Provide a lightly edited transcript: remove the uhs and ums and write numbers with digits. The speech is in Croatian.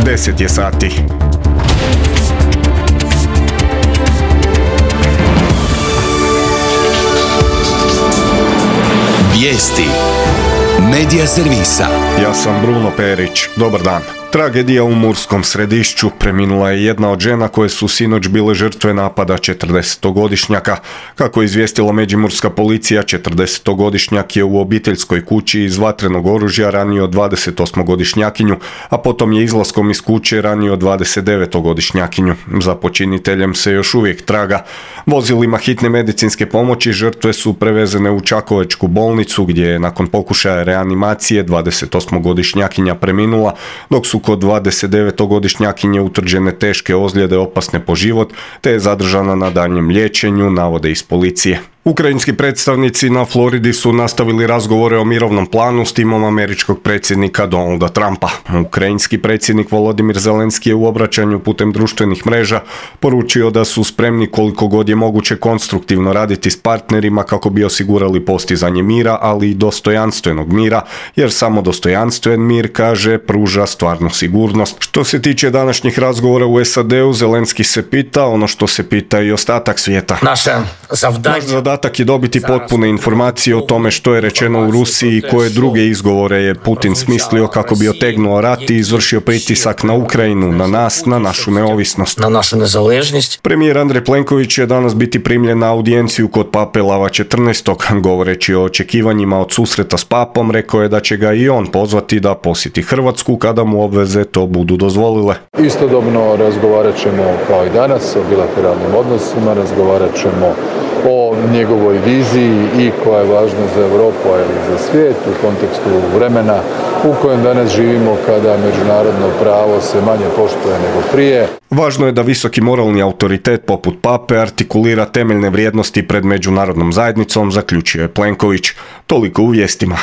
10 je sati. Vijesti Medija servisa. Ja sam Bruno Perić. Dobar dan. Tragedija u Murskom Središću. Preminula je jedna od žena koje su sinoć bile žrtve napada 40-godišnjaka. Kako je izvijestila međimurska policija, 40-godišnjak je u obiteljskoj kući iz vatrenog oružja ranio 28-godišnjakinju, a potom je izlaskom iz kuće ranio 29-godišnjakinju. Za počiniteljem se još uvijek traga. Vozilima hitne medicinske pomoći žrtve su prevezene u Čakovečku bolnicu, gdje je nakon pokušaja reanimacije 28-godišnjakinja preminula, dok su kod 29-godišnjakinje utvrđene teške ozljede opasne po život, te je zadržana na daljnjem liječenju, navode iz policije. Ukrajinski predstavnici na Floridi su nastavili razgovore o mirovnom planu s timom američkog predsjednika Donalda Trumpa. Ukrajinski predsjednik Volodimir Zelenski je u obraćanju putem društvenih mreža poručio da su spremni koliko god je moguće konstruktivno raditi s partnerima kako bi osigurali postizanje mira, ali i dostojanstvenog mira, jer samo dostojanstven mir, kaže, pruža stvarnu sigurnost. Što se tiče današnjih razgovora u SAD-u, Zelenski se pita ono što se pita i ostatak svijeta. Naš zadatak je dobiti potpune informacije o tome što je rečeno u Rusiji i koje druge izgovore je Putin smislio kako bi otegnuo rat i izvršio pritisak na Ukrajinu, na nas, na našu neovisnost. Na našu nezaležnost. Premijer Andrej Plenković će danas biti primljen na audijenciju kod pape Lava 14. Govoreći o očekivanjima od susreta s papom, rekao je da će ga i on pozvati da posjeti Hrvatsku kada mu obveze to budu dozvolile. Istodobno razgovarat ćemo kao i danas o bilateralnim odnosima, razgovarat ćemo o njegovoj viziji i koja je važna za Europu, ali i za svijet u kontekstu vremena u kojem danas živimo kada međunarodno pravo se manje poštuje nego prije. Važno je da visoki moralni autoritet poput pape artikulira temeljne vrijednosti pred međunarodnom zajednicom, zaključio je Plenković. Toliko u vijestima.